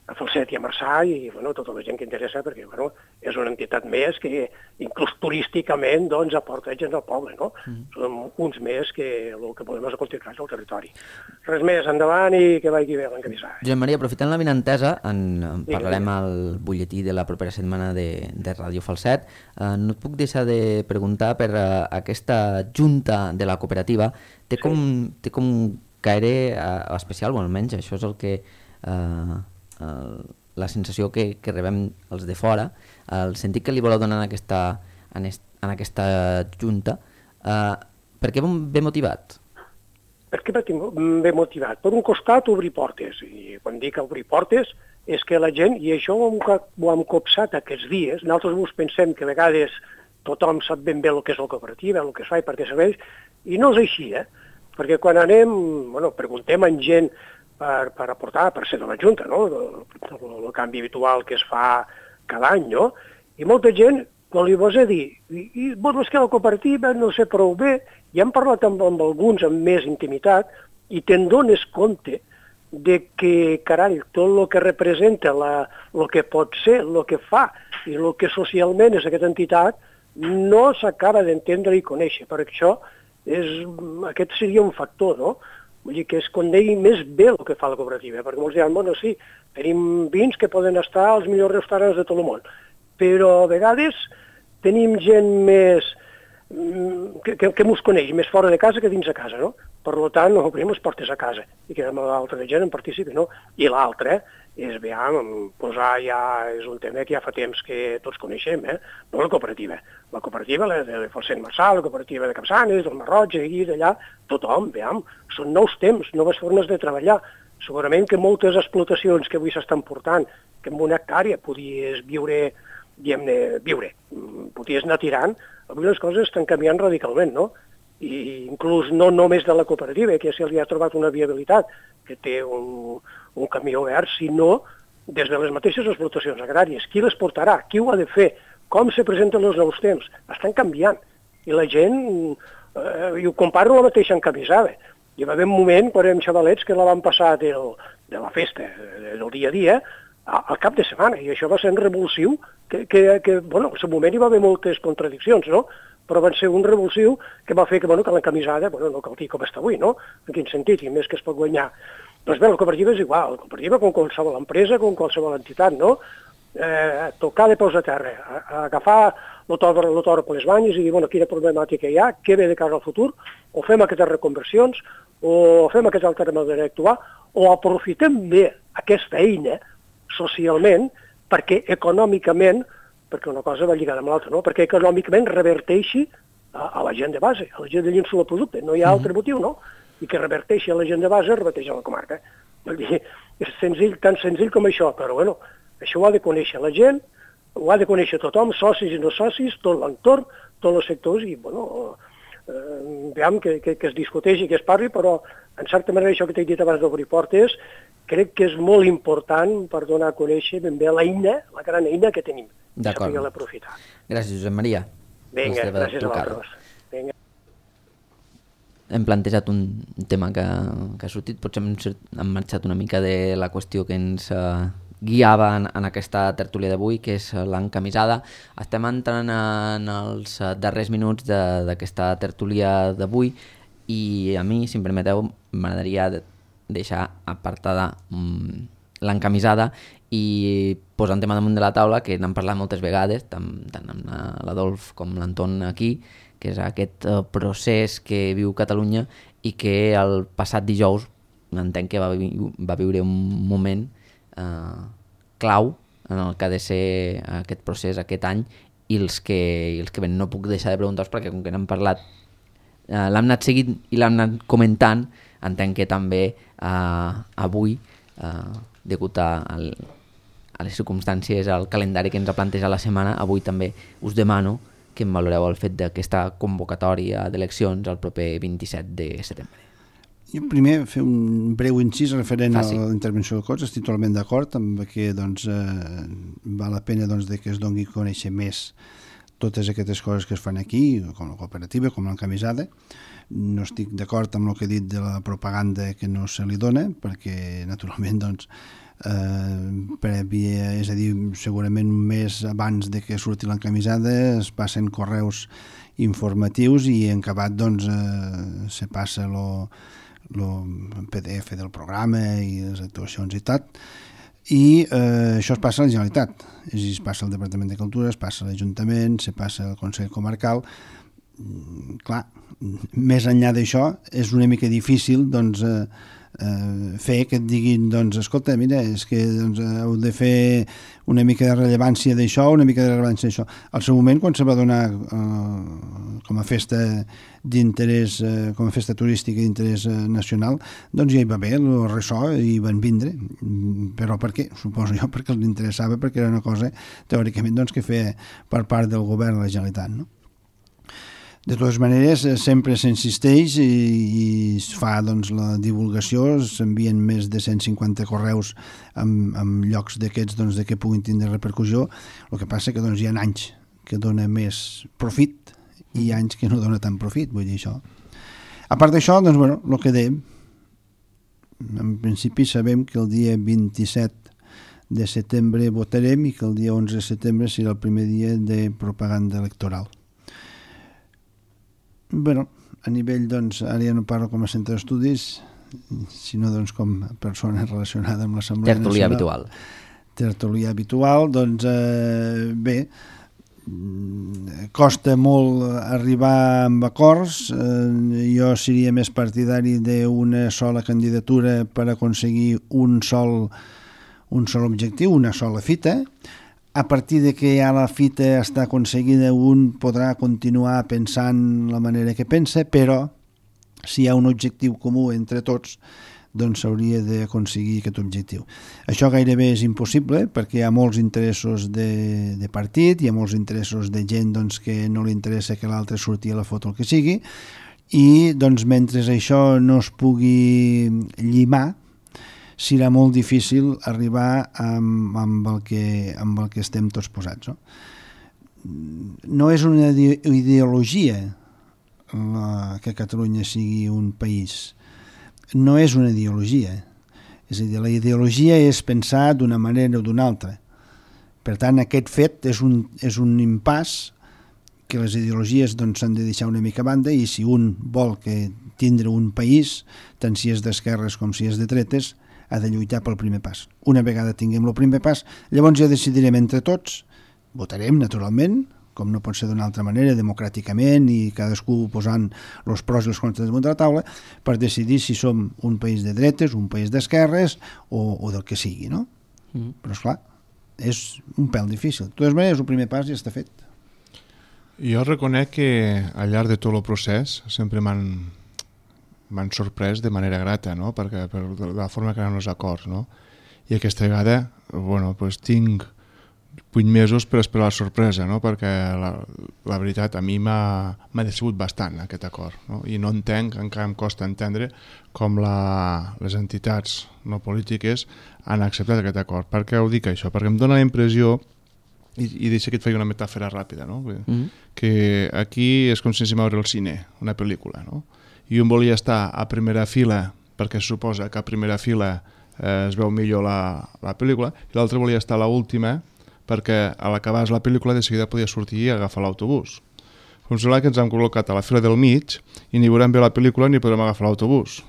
a Falset i a Marçà i tota la gent que interessa, perquè és una entitat més que inclús turísticament aporta gent al poble. Som uns més que el que podem és continuar al territori. Res més, endavant i que vagi bé l'encamissada. Josep Maria, aprofitant la vinentesa, parlarem al butlletí de la propera setmana de Ràdio Falset. No et puc deixar de preguntar per aquesta junta de la cooperativa. Té com caire especial, o almenys això és el que... la sensació que rebem els de fora, el sentit que li voleu donar en aquesta junta, per què ve motivat? Per què ve motivat? Per un costat, obrir portes, i quan dic obrir portes és que la gent, i això ho hem copsat aquests dies, nosaltres pensem que a vegades tothom sap ben bé el que és la cooperativa, el que es fa i per què serveix, i no és així, perquè quan anem, preguntem a gent per aportar, per ser de la Junta, el canvi habitual que es fa cada any, i molta gent, quan li vols dir, i vols que la cooperativa no sé prou bé, ja hem parlat amb alguns amb més intimitat, i te'n dones compte de que, carai, tot el que representa, el que pot ser, el que fa, i el que socialment és aquesta entitat, no s'acaba d'entendre i conèixer. Per això, aquest seria un factor, no? Vull dir que es conegui més bé el que fa la cooperativa, perquè molts diran, sí, tenim vins que poden estar als millors restaurants de tot el món, però a vegades tenim gent més que mos coneix, més fora de casa que dins de casa, no? Per tant, obrim les portes a casa i que l'altra gent en participi, no? I l'altre és, posar ja, és un tema que ja fa temps que tots coneixem, no la cooperativa. La cooperativa de Falset Marçà, la cooperativa de Capçanes, del Marroig, aquí, d'allà, tothom, són nous temps, noves formes de treballar. Segurament que moltes explotacions que avui s'estan portant, que en una hectàrea podies viure, podies anar tirant, avui les coses estan canviant radicalment, no? I inclús no només de la cooperativa, que ja li ha trobat una viabilitat, que té un camí obert, sinó des de les mateixes explotacions agràries. Qui les portarà? Qui ho ha de fer? Com se presenten els nous temps? Estan canviant. I la gent, i ho comparo la mateixa encamisada. Hi va haver un moment, quan érem xavalets, que la vam passar de la festa, del dia a dia, al cap de setmana. I això va ser un revulsiu, que en el seu moment hi va haver moltes contradiccions, no? Però va ser un revulsiu que va fer que l'encamisada no cal dir com està avui, no? En quin sentit, i més que es pot guanyar. Doncs bé, la cooperativa és igual, la cooperativa com qualsevol empresa, com qualsevol entitat, no? Tocar de peus a terra, agafar el toro per les banyes i dir, quina problemàtica hi ha, què ve de cara al futur, o fem aquestes reconversions, o fem aquesta altra manera d'actuar, o aprofitem bé aquesta eina socialment perquè econòmicament, perquè una cosa va lligada amb l'altra, no? Perquè econòmicament reverteixi a la gent de base, a la gent de llenço del producte. No hi ha altre motiu, no? I que reverteixi a la gent de base, reverteixi a la comarca. Vull dir, és senzill, tan senzill com això, però això ho ha de conèixer la gent, ho ha de conèixer tothom, socis i no socis, tot l'entorn, tots els sectors, i veiem que es discuteixi i que es parli, però en certa manera això que t'he dit abans d'obrir portes, crec que és molt important per donar a conèixer ben bé l'eina, la gran eina que tenim. D'acord. Gràcies, Josep Maria. Vinga, gràcies a vosaltres. Hem plantejat un tema que ha sortit, potser hem marxat una mica de la qüestió que ens guiava en aquesta tertúlia d'avui, que és l'encamisada. Estem entrant en els darrers minuts d'aquesta tertúlia d'avui i a mi, si em permeteu, m'agradaria deixar apartada l'encamisada i posar un tema damunt de la taula que n'hem parlat moltes vegades, tant amb l'Adolf com l'Anton aquí, que és aquest procés que viu Catalunya i que el passat dijous entenc que va viure un moment clau en el que ha de ser aquest procés aquest any i els que ven. No puc deixar de preguntar-vos perquè com que n'hem parlat l'hem anat seguint i l'hem anat comentant, entenc que també avui degut a les circumstàncies, al calendari que ens ha plantejat la setmana, avui també us demano que em valoreu el fet d'aquesta convocatòria d'eleccions el proper 27 de setembre. Jo primer fer un breu incís referent a la intervenció del Cots. Estic totalment d'acord amb que val la pena que es doni a conèixer més totes aquestes coses que es fan aquí, com la cooperativa, com l'encamisada. No estic d'acord amb el que he dit de la propaganda que no se li dona, perquè naturalment doncs, prèvia, és a dir, segurament un mes abans de que surti l'encamisada es passen correus informatius i en acabat doncs, se passa el PDF del programa i les actuacions i tot, i això es passa a la Generalitat, és a dir, es passa al Departament de Cultura, es passa a l'Ajuntament, se passa al Consell Comarcal. Clar, més enllà d'això és una mica difícil doncs, fer que et diguin doncs, escolta, mira, és que doncs, heu de fer una mica de rellevància d'això, una mica de rellevància d'això. Al seu moment, quan se va donar com a festa d'interès, com a festa turística d'interès nacional, doncs ja hi va haver el ressò i van vindre. Però per què? Suposo jo perquè els interessava, perquè era una cosa teòricament doncs, que feia per part del govern de la Generalitat, no? De totes maneres, sempre s'insisteix i es fa doncs, la divulgació, s'envien més de 150 correus amb llocs d'aquests doncs, que puguin tindre repercussió. El que passa que doncs, hi ha anys que dona més profit i anys que no dona tant profit, vull dir això. A part d'això, doncs, bueno, el que dèiem, en principi sabem que el dia 27 de setembre votarem i que el dia 11 de setembre serà el primer dia de propaganda electoral. Bueno, a nivell, doncs, ara ja no parlo com a centre d'estudis, sinó doncs, com a persona relacionada amb l'Assemblea Nacional. Tertulià habitual. Tertulià habitual, doncs, bé, costa molt arribar amb acords. Jo seria més partidari d'una sola candidatura per aconseguir un sol objectiu, una sola fita. A partir de que ja la fita està aconseguida, un podrà continuar pensant la manera que pensa, però si hi ha un objectiu comú entre tots, doncs s'hauria d'aconseguir aquest objectiu. Això gairebé és impossible perquè hi ha molts interessos de partit, hi ha molts interessos de gent doncs, que no li interessa que l'altre surti a la foto el que sigui, i doncs, mentre això no es pugui llimar, serà molt difícil arribar amb el que estem tots posats. No és una ideologia que Catalunya sigui un país. No és una ideologia. És a dir, la ideologia és pensar d'una manera o d'una altra. Per tant, aquest fet és un impàs que les ideologies doncs, s'han de deixar una mica a banda, i si un vol tindre un país, tant si és d'esquerres com si és de dretes, ha de lluitar pel primer pas. Una vegada tinguem el primer pas, llavors ja decidirem entre tots, votarem naturalment, com no pot ser d'una altra manera, democràticament i cadascú posant els pros i els contres damunt de la taula, per decidir si som un país de dretes, un país d'esquerres o del que sigui, no? Però esclar, és un pèl difícil. De totes maneres, el primer pas ja està fet. Jo reconec que al llarg de tot el procés sempre m'han sorprès de manera grata, no? Perquè per la forma que eren els acords, no? I aquesta vegada, bueno, pues tinc 8 mesos per esperar la sorpresa, no? Perquè la veritat a mi m'ha decebut bastant aquest acord, no? I no entenc, encara em costa entendre com les entitats no polítiques han acceptat aquest acord. Per què ho dic això? Perquè em dóna la impressió, i deixa que et faci una metàfora ràpida, no? Que aquí és com si anéssim a veure el cine, una pel·lícula, no? I un volia estar a primera fila perquè se suposa que a primera fila es veu millor la pel·lícula, i l'altre volia estar a l'última perquè a l'acabar la pel·lícula de seguida podia sortir i agafar l'autobús. Com sembla que ens hem col·locat a la fila del mig i ni veurem bé la pel·lícula ni podrem agafar l'autobús.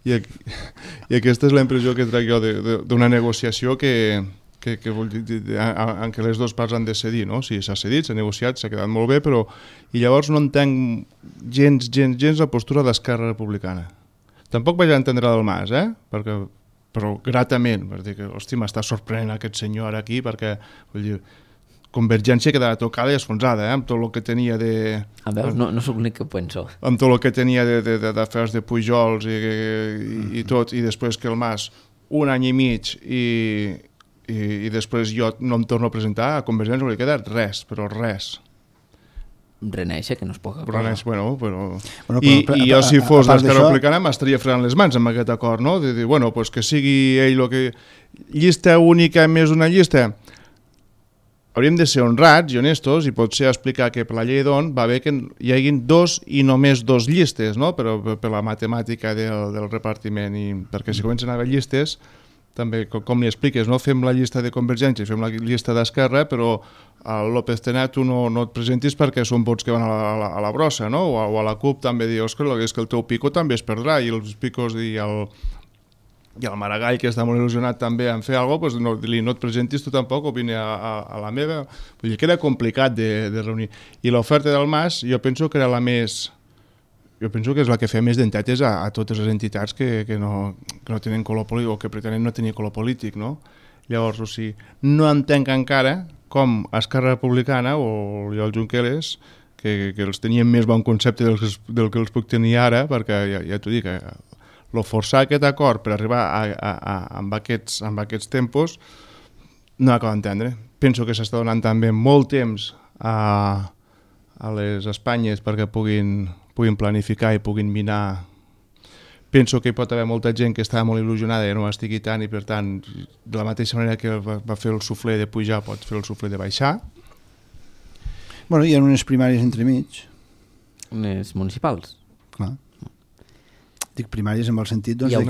I aquesta és la impressió que trec jo d'una negociació en què les dues parts han de cedir, no? Si s'ha cedit, s'ha negociat, s'ha quedat molt bé, però... I llavors no entenc gens la postura d'Esquerra Republicana. Tampoc vaig entendre del Mas, però gratament, per dir que, hosti, m'està sorprenent aquest senyor ara aquí, perquè, vull dir, Convergència quedava tocada i esfonsada, amb tot el que tenia de... Veus, no soc l'únic que penso. Amb tot el que tenia d'afers de Pujols i tot, i després que el Mas, un any i mig, i després jo no em torno a presentar, a Convergència no li queda res, però res. Reneixer, que no es pot acabar. I jo si fos l'Esquerra Republicana m'estaria fregant les mans amb aquest acord, no? De dir, bueno, pues que sigui ell el que... Llista única més una llista? hauríem de ser honrats i honestos i potser explicar que per la llei d'on va bé que hi haguin 2 i només 2 llistes, no? Però per la matemàtica del repartiment, i perquè si comencen a haver llistes, també, com li expliques, no? Fem la llista de Convergència, fem la llista d'Esquerra, però a López Tena tu no et presentis perquè són vots que van a la brossa, no? O a la CUP també dius que el teu pico també es perdrà, i els picos i el Maragall, que està molt il·lusionat també en fer alguna cosa, doncs no et presentis tu tampoc, o vine a la meva. Vull dir que era complicat de reunir. I l'oferta del Mas jo penso que era la més... Jo penso que és la que feia més d'entitats a totes les entitats que no tenen color polític o que pretenen no tenir color polític, no? Llavors, o sigui, no entenc encara com Esquerra Republicana o el Junqueras, que els tenien més bon concepte del que els puc tenir ara, perquè ja t'ho dic, el forçar aquest acord per arribar amb aquests tempos no acabo d'entendre. Penso que s'està donant també molt temps a les Espanyes perquè puguin planificar i puguin minar. Penso que hi pot haver molta gent que estava molt il·lusionada i no estigui tant, i per tant, de la mateixa manera que va fer el suflé de pujar, pot fer el suflé de baixar. Bueno, hi ha unes primàries entremig. Unes municipals. Clar. Dic primàries en el sentit doncs,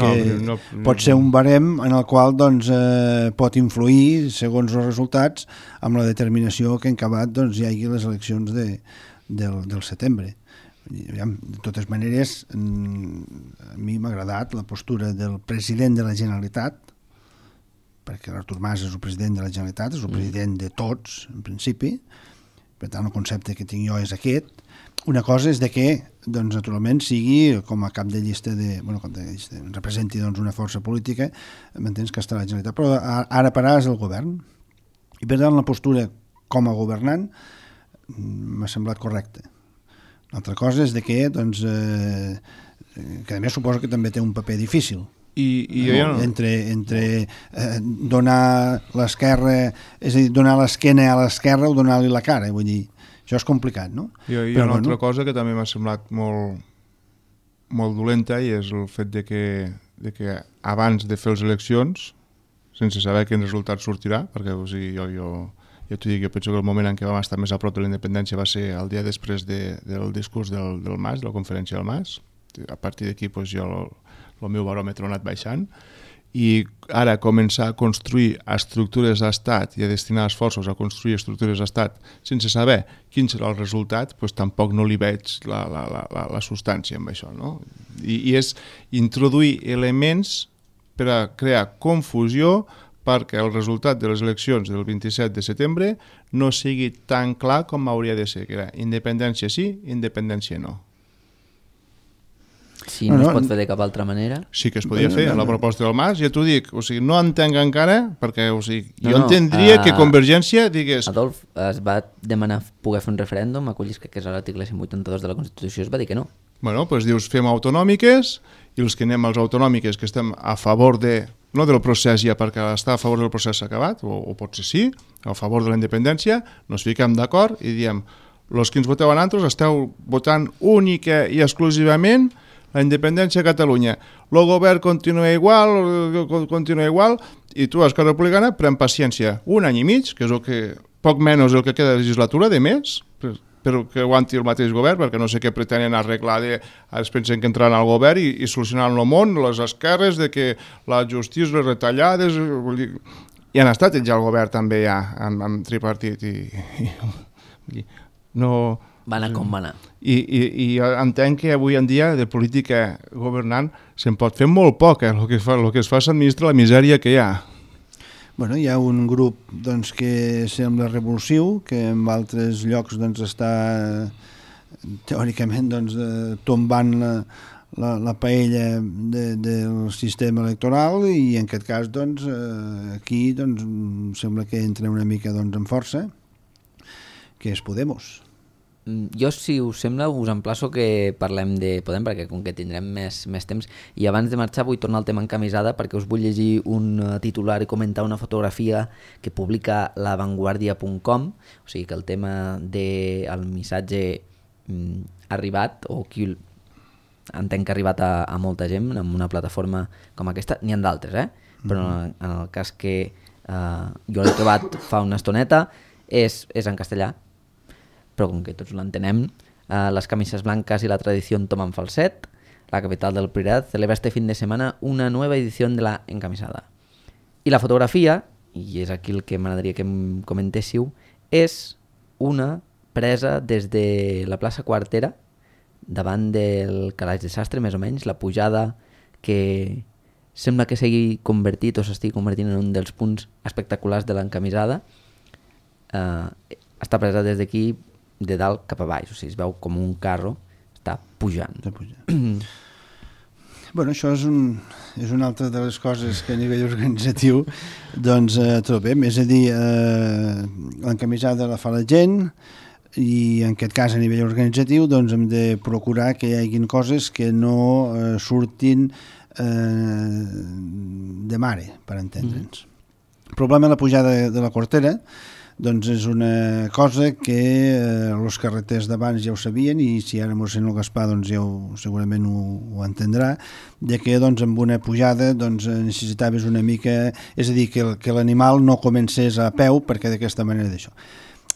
no, pot ser un barem en el qual doncs, pot influir, segons els resultats, amb la determinació que en acabat doncs, hi hagi les eleccions del setembre. De totes maneres, a mi m'ha agradat la postura del president de la Generalitat, perquè l'Artur Mas és el president de la Generalitat, és el president de tots, en principi, per tant el concepte que tinc jo és aquest. Una cosa és de que, doncs, naturalment, sigui com a cap de llista representi doncs, una força política, m'entens que està la Generalitat, però ara per ara és el govern. I per tant la postura com a governant m'ha semblat correcta. L'altra cosa és de que, doncs, que a més suposo que també té un paper difícil. Entre donar l'esquerra, és a dir, donar l'esquena a l'esquerra o donar-li la cara, vull dir, això és complicat, no? Hi ha una altra cosa que també m'ha semblat molt dolenta, i és el fet de que abans de fer les eleccions, sense saber quin resultat sortirà, perquè o sigui, jo t'ho dic, jo penso que el moment en què vam estar més a prop de la independència va ser el dia després del discurs del Mas, de la conferència del Mas. A partir d'aquí doncs, el meu baròmetre ha anat baixant, i ara començar a construir estructures d'estat i a destinar esforços a construir estructures d'estat sense saber quin serà el resultat, doncs tampoc no li veig la substància amb això, no? I és introduir elements per a crear confusió perquè el resultat de les eleccions del 27 de setembre no sigui tan clar com hauria de ser, que era independència sí, independència no. Si no es pot fer de cap altra manera. Sí que es podia fer, a la proposta del Mas, ja t'ho dic, o sigui, no entenc encara, perquè o sigui, jo entendria que Convergència digués... Adolf, es va demanar poder fer un referèndum, acollis que és l'article 182 de la Constitució, es va dir que no. Bueno, doncs dius, fem autonòmiques, i els que anem als autonòmiques que estem a favor no del procés ja, perquè estar a favor del procés s'ha acabat, o potser sí, a favor de la independència, nos fiquem d'acord i diem, els que ens voteu a nosaltres esteu votant única i exclusivament la independència a Catalunya. El govern continua igual, i tu, Esquerra Republicana, pren paciència. 1 any i mig, que és el que, poc menys el que queda de legislatura, de més, però que aguanti el mateix govern, perquè no sé què pretenen arreglar, es pensen que entraran al govern i solucionaran el món, les esquerres, de que la justícia, les retallades... I han estat ells al govern també ja, amb tripartit, i no... Va anar com va anar. I entenc que avui en dia de política governant se'n pot fer molt poc, el que es fa s'administra la misèria que hi ha. Bueno, hi ha un grup doncs, que sembla revulsiu, que en altres llocs doncs, està teòricament doncs, tombant la paella del sistema electoral, i en aquest cas doncs, aquí doncs, sembla que entra una mica doncs, amb força, que és Podemos. Jo, si us sembla, us emplaço que parlem de Podem, perquè com que tindrem més temps, i abans de marxar vull tornar al tema encamisada, perquè us vull llegir un titular i comentar una fotografia que publica lavanguardia.com, o sigui que el tema del missatge ha arribat, o qui entenc que ha arribat a molta gent en una plataforma com aquesta, n'hi ha d'altres, però en el cas que jo l'he trobat fa una estoneta, és en castellà, però com que tots l'entenem, les camisas blancas y la tradición toman falset. La capital del Priorat celebra este fin de semana una nueva edición de la encamisada. I la fotografia, i és aquí el que m'agradaria que em comentéssiu, és una presa des de la plaça Quartera, davant del Calaix de Sastre, més o menys, la pujada que sembla que s'hagi convertit o s'estigui convertint en un dels punts espectaculars de l'encamisada. Està presa des d'aquí, de dalt cap a baix, o sigui, es veu com un carro està pujant. Bueno, això és una altra de les coses que a nivell organitzatiu doncs trobem, és a dir, l'encamisada la fa la gent i en aquest cas a nivell organitzatiu doncs hem de procurar que hi hagin coses que no surtin de mare, per entendre'ns. El problema de la pujada de la Quartera doncs és una cosa que els carreters d'abans ja ho sabien i si ara mossèn el Gaspar doncs ja segurament ho entendrà, de que doncs amb una pujada doncs necessitaves una mica, és a dir, que l'animal no comencés a peu perquè d'aquesta manera d'això.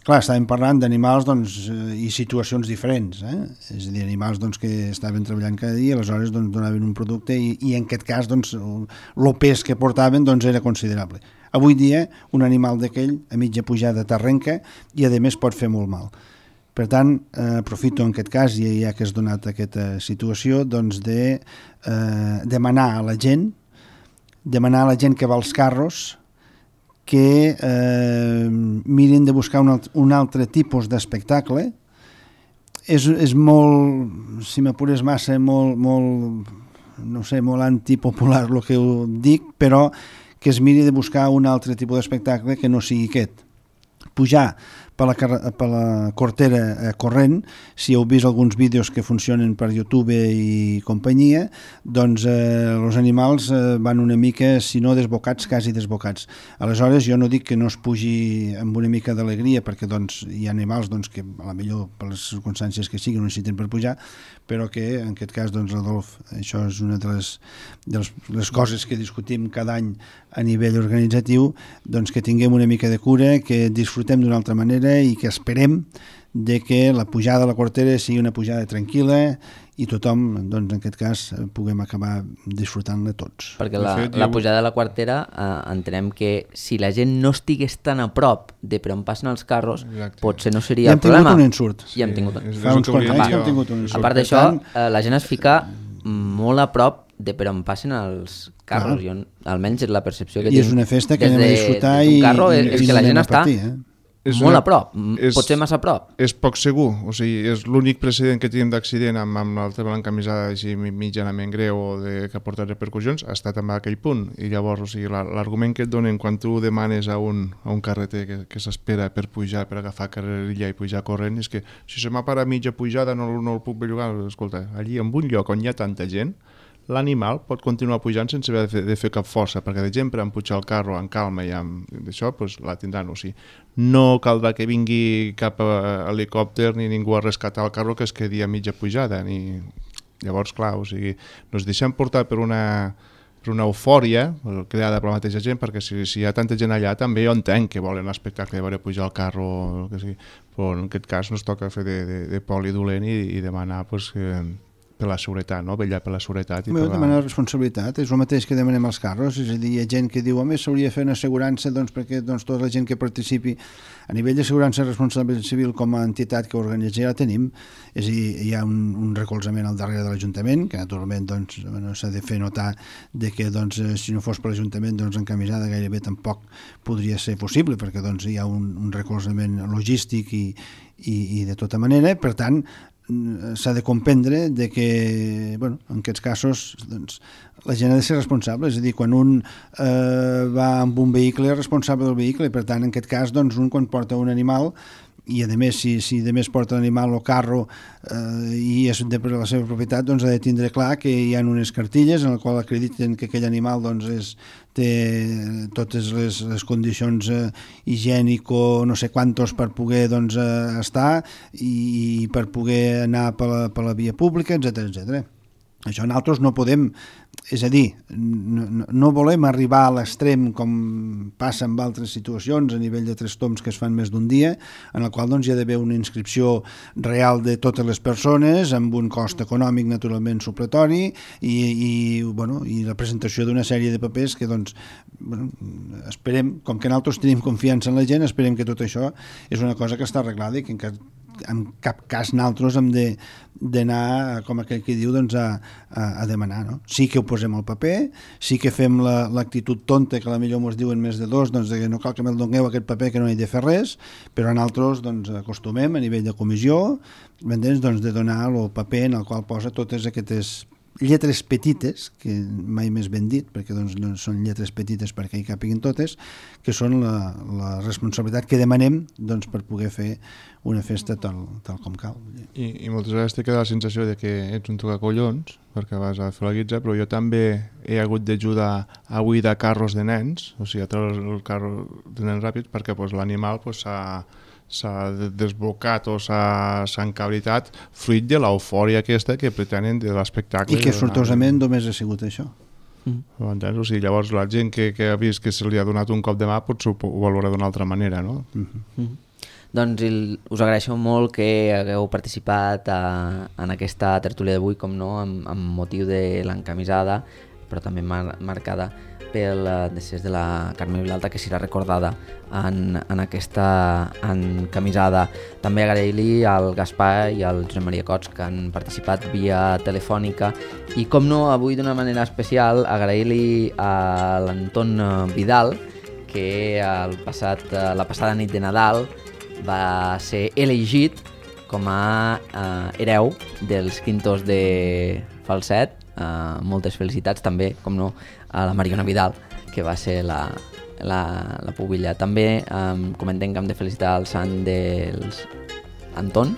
Clar, estàvem parlant d'animals doncs, i situacions diferents, és a dir, animals doncs, que estaven treballant cada dia, aleshores doncs, donaven un producte i en aquest cas doncs, el pes que portaven doncs, era considerable. Avui dia un animal d'aquell a mitja pujada t'arrenca i a més pot fer molt mal. Per tant, aprofito en aquest cas, i ja que has donat aquesta situació, doncs de demanar a la gent que va als carros que mirin de buscar un altre tipus d'espectacle. És molt, si m'apures massa, molt antipopular el que ho dic, però que es miri de buscar un altre tipus d'espectacle que no sigui aquest. Pujar per la Quartera corrent, si heu vist alguns vídeos que funcionen per YouTube i companyia, doncs els animals van una mica, si no desbocats, quasi desbocats. Aleshores, jo no dic que no es pugi amb una mica d'alegria, perquè doncs, hi ha animals doncs, que a la millor per les circumstàncies que siguin no necessiten per pujar, però que en aquest cas, doncs, Adolf, això és una de les coses que discutim cada any a nivell organitzatiu, doncs que tinguem una mica de cura, que disfrutem d'una altra manera i que esperem de que la pujada a la Quartera sigui una pujada tranquil·la i tothom, doncs, en aquest cas, puguem acabar disfrutant-la tots. Perquè la pujada de la Quartera entenem que si la gent no estigués tan a prop de per on passen els carros, potser no seria el problema. Ja hem tingut un ensurt. Ja hem tingut un ensurt. Fa uns quants anys que hem tingut un ensurt. A part d'això, la gent es fica molt a prop de per on passen els carros. Jo, almenys és la percepció que tinc. I és una festa que anem a disfrutar i és que la gent està molt a prop, potser massa a prop. És poc segur, o sigui, és l'únic precedent que tenim d'accident amb el tema de l'encamisada així mitjanament greu o que ha portat repercussions ha estat en aquell punt, i llavors, o sigui, l'argument que et donen quan tu demanes a un carreter que s'espera per pujar, per agafar carrerilla i pujar corrent, és que si se m'ha parat mitja pujada no el puc bellugar. Escolta, allí en un lloc on hi ha tanta gent, l'animal pot continuar pujant sense haver de fer cap força, perquè de gent per empujar el carro en calma i amb això, doncs la tindran. O sigui, no caldrà que vingui cap helicòpter ni ningú a rescatar el carro que es quedi a mitja pujada. Llavors, clar, o sigui, ens deixem portar per una eufòria creada per la mateixa gent, perquè si hi ha tanta gent allà també jo entenc que volen l'espectacle de veure pujar el carro o el que sigui, però en aquest cas no es toca fer de poli dolent i demanar pues, per la seguretat, no? Vetllar per la seguretat. Demanar responsabilitat, és el mateix que demanem als carros, és a dir, hi ha gent que diu, home, s'hauria de fer una assegurança perquè tota la gent que participi a nivell d'assegurança responsabilitat civil com a entitat que organitza ja la tenim, és a dir, hi ha un recolzament al darrere de l'Ajuntament, que naturalment doncs, s'ha de fer notar de que doncs, si no fos per l'Ajuntament doncs, encamisada gairebé tampoc podria ser possible, perquè doncs, hi ha un recolzament logístic i de tota manera, per tant, s'ha de comprendre de que, bueno, en aquests casos doncs, la gent ha de ser responsable, és a dir, quan un va amb un vehicle és responsable del vehicle i per tant en aquest cas doncs, un quan porta un animal i a més si a més porta l'animal o carro i és de la seva propietat, doncs ha de tindre clar que hi ha unes cartilles en les quals acrediten que aquell animal doncs, té totes les condicions higiènico no sé quantos per poder doncs, estar i per poder anar per la via pública, etc. Això nosaltres no podem, és a dir, no volem arribar a l'extrem com passa en altres situacions a nivell de 3 toms que es fan més d'un dia, en el qual doncs, hi ha d'haver una inscripció real de totes les persones amb un cost econòmic naturalment supletori i la presentació d'una sèrie de papers que doncs, esperem, com que nosaltres tenim confiança en la gent, esperem que tot això és una cosa que està arreglada i que en cap cas nosaltres hem d'anar, com aquell que diu, doncs, a demanar. No? Sí que ho posem al paper, sí que fem l'actitud tonta, que a la millor ens diuen més de 2, doncs, que no cal que me'l dongueu aquest paper, que no hi he de fer res, però nosaltres doncs, acostumem a nivell de comissió doncs, de donar el paper en el qual posa totes aquestes lletres petites, que mai més ben dit, perquè doncs, no són lletres petites perquè hi capiguin totes, que són la responsabilitat que demanem doncs, per poder fer una festa tal com cal. I moltes vegades t'he quedat la sensació de que ets un tocacollons, perquè vas a fer la guitza, però jo també he hagut d'ajudar a buidar carros de nens, o sigui, a treure el carro de nens ràpid, perquè doncs, l'animal s'ha desbocat o s'ha encabritat fruit de l'eufòria aquesta que pretenen de l'espectacle. I que sortosament només ha sigut això. O sigui, llavors la gent que ha vist que se li ha donat un cop de mà potser ho valora d'una altra manera, no? Doncs us agraeixo molt que hagueu participat en aquesta tertúlia d'avui, com no, amb motiu de l'encamisada, però també marcada pel decés de la Carme Vilalta, que serà recordada en aquesta encamisada. També agrair-li al Gaspar i al Josep Maria Cots, que han participat via telefònica, i com no, avui d'una manera especial agrair-li a l'Anton Vidal, que la passada nit de Nadal va ser elegit com a hereu dels quintos de Falset. Moltes felicitats també, com no, a la Mariona Vidal, que va ser la pubilla. També comentem que hem de felicitar el sant dels Anton,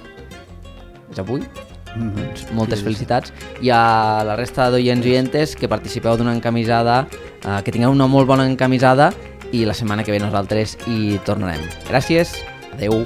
és avui. Doncs moltes felicitats, i a la resta d'oients i oientes que participeu d'una encamisada, que tingueu una molt bona encamisada, i la setmana que ve nosaltres hi tornarem. Gràcies, adeu.